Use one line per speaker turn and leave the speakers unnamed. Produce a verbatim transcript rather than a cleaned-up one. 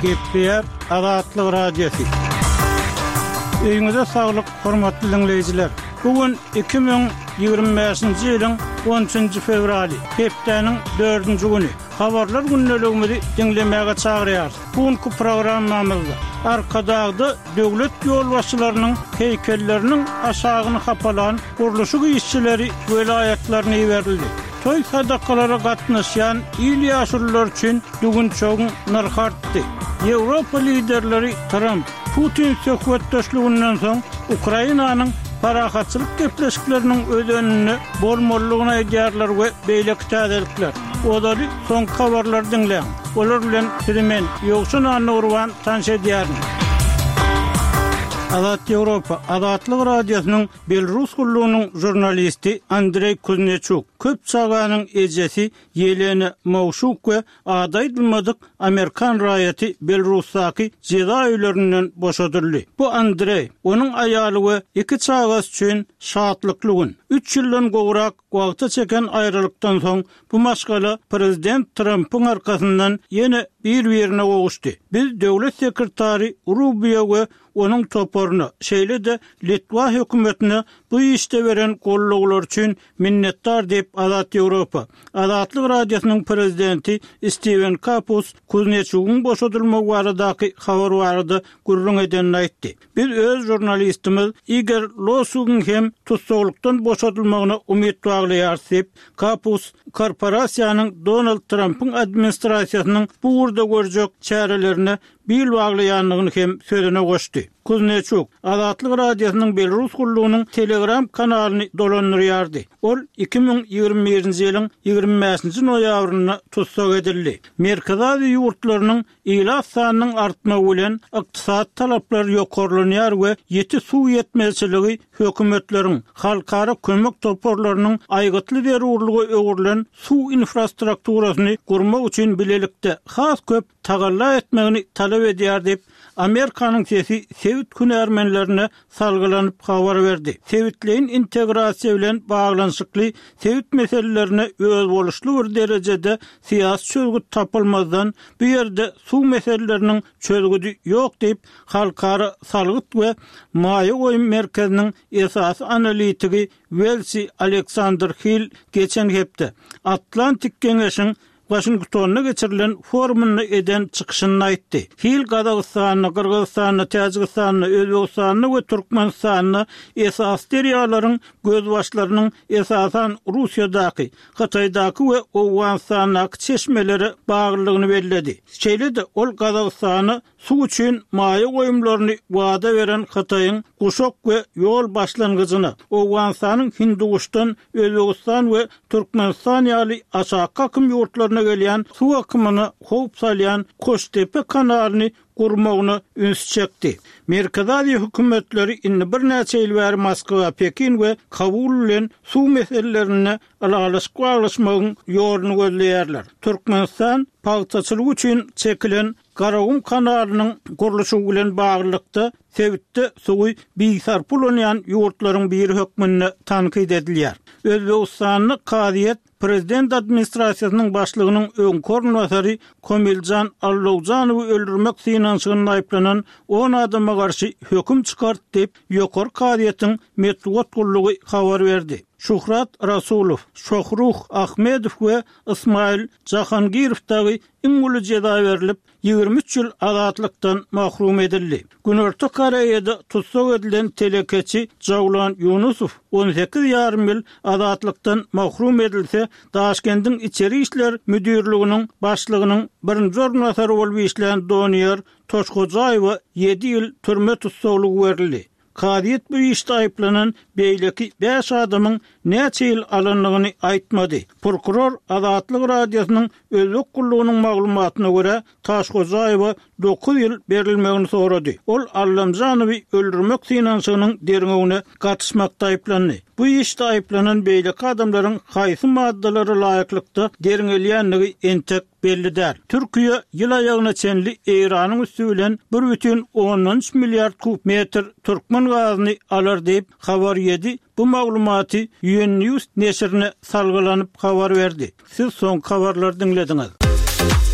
Gepleýär Azatlyk Radiosy. Öýüňize saglyk, hormatly diňleýjiler. Bu gün iki müň ýigrimi bäşinji ýylyň on üçünji fewraly, hepdäniň dördünji güni. Habarlar gündeligimizi diňlemäge çagyrýarys. Bu günki programmamyzda Arkadagda döwlet ýolbaşçylarynyň heýkelleriniň aşagyny hapalan gurluşyk işçileri welaýatlaryna iberildi. Toý sadakalara gatnaşýan il ýaşululary üçin düwünçegiň nyrhy artdy. Ýewropa liderleri Tramp, Putin söhbetdeşliginden soň Ukrainanyň parahatçylyk gepleşikleriniň özeninde bolmalydygyny aýdýarlar we beýleki täzelikler. Ozaly soňky habarlary diňläň. Olar bilen sizi men, Ýowşan Annagurban tanyş edýärin. Azat Ýewropa, Azatlyk Radiosynyň Belarus gullugynyň žurnalisti Andreý Kuzneçuk, köp çaganyň ejesi Ýelena Mowşuk we ady aýdylmadyk amerikan raýaty Belarusdaky jeza öýlerinden boşadyldy. Bu Andreý, onuň aýaly we iki çagasy üçin şatlykly gün. Üç ýyldan gowrak wagta çeken aýralykdan soň bu maşgala prezident Trampyň arkasyndan ýene bir-birine gowuşdy. Biz döwlet sekretary Rubio we onuň toparyna, şeýle-de Litwa hökümetine bu işde beren gollawlary üçin minnetdar diýip, Azat Ýewropa, Azatlyk Radiosynyň prezidenti Stiwen Kapus Kuzneçugyň boşadylmagy baradaky habar barada gürrüň edenini aýtdy. Biz öz žurnalistimiz Igor Losugyň hem tussaglykdan boşadylmagyna umyt baglaýarys diýip, Kapus korporasiýanyň Donald Trampyň administrasiýasynyň bu ugurda görjek çärelerine bil baglaýandygyny hem sözüne goşdy. Kuzneçuk, Azatlyk Radiosynyň Belarus gullugynyň Telegram kanalyny dolandyrýardy. Ol iki müň ýigrimi birinji ýylyň ýigrimi bäşinji noýabrynda tussag edildi. Merkezi Aziýa ýurtlarynyň ilat sanynyň artmagy bilen ykdysady talaplar ýokarlanýar we ýiti suw ýetmezçiligi hökümetleriň, halkara kömek toparlarynyň aýgytly zerurlyga öwrülen suw infrastrukturasyny gurmak üçin bilelikde has köp tagalla etmegini talap edýär diýip, Amerikanyň sesi sebit hünärmenlerine salgylanyp habar berdi. Sebitleýin integrasiýa bilen baglanyşykly sebit meselelerine özboluşly bir derejede syýasy çözgüt tapylmazdan, bu ýerde suw meseleleriniň çözgüdi ýok diýip, Halkara salgyt we maýa goýum merkeziniň esasy analitigi Welsi Aleksandr Hill geçen hepde Atlantik geňeşiň Waşingtonda geçirilen forumynda eden çykyşynda aýtdy. Hill Gazagystanda, Gyrgyzystanda, Täjigistanda, Özbegistanda we Türkmenistanda esasy derýalaryň gözbaşlarynyň esasan Russiýadaky, Hytaýdaky we Owganystandaky çeşmelere baglydygyny belledi. Şeýle-de ol Gazagystana suw üçin maýa goýumlaryny wada beren Hytaýyň Guşak we ýol başlangyjyna, Owganystanyň Hinduguşdan Özbegistan we Türkmenistan ýaly aşaky akym ýurtlaryna gelýän suw akymyna howp salýan Koştepe kanalyny gurmagyna üns çekdi. Merkezi Aziýa hökümetleri indi birnäçe ýyl bäri Moskwa, Pekin we Kabul bilen suw meselelerinde ylalaşyk baglaşmagyň ýoluny gözleýärler. Türkmenistan pagtaçylyk üçin çekilen Garagum kanalynyň gurluşygy bilen baglylykda, sebitde suwy bisarpa ulanýan ýurtlaryň biri hökmünde tankyt edilýär. Özbegistanda kazyýet prezident administrasiýasynyň başlygynyň öňki orunbasary Komiljan Allowjanowy öldürmek synanyşygynda aýyplanan on adama garşy höküm çykardy diýip, Ýokary kazyýetiň metbugat gullugy habar berdi. Şuhrat Rasulow, Şohruh Ahmedow we Ismail Jahangirow dagy iň uly jeza berlip, ýigrimi üç ýyl azatlykdan mahrum edildi. Günorta Koreýada tussag edilen telekeçi Jawlan Ýunusow on sekiz ýarym ýyl azatlykdan mahrum edilse, Daşkendiň Içeri işler müdirliginiň başlygynyň birinji orunbasary bolup işlän Doniýar Toşhojaýewe ýedi ýyl türme tussaglygy berildi. Kazyýet bu işde aýyplanan beýleki bäş adamyň näçe ýyl alandygyny aýtmady. Prokuror Azatlyk Radiosynyň Özbek gullugynyň maglumatyna görä, Taşhojaýewa dokuz ýyl berilmegini sorady. Ol Allamjanowy öldürmek synanyşygynyň derňewine gatyşmakda aýyplandy. Bu işde aýyplanan beýleki adamlaryň haýsy maddalara laýyklykda derňelýändigi entek belli däl. Türkiýe ýyl aýagyna çenli Eýranyň üsti bilen bir bütin ondan üç milliard kub metr türkmen gazyny alar diýip, Habar ýedi bu maglumaty UN News neşirine salgylanyp habar berdi. Siz soňky habarlary diňlediňiz.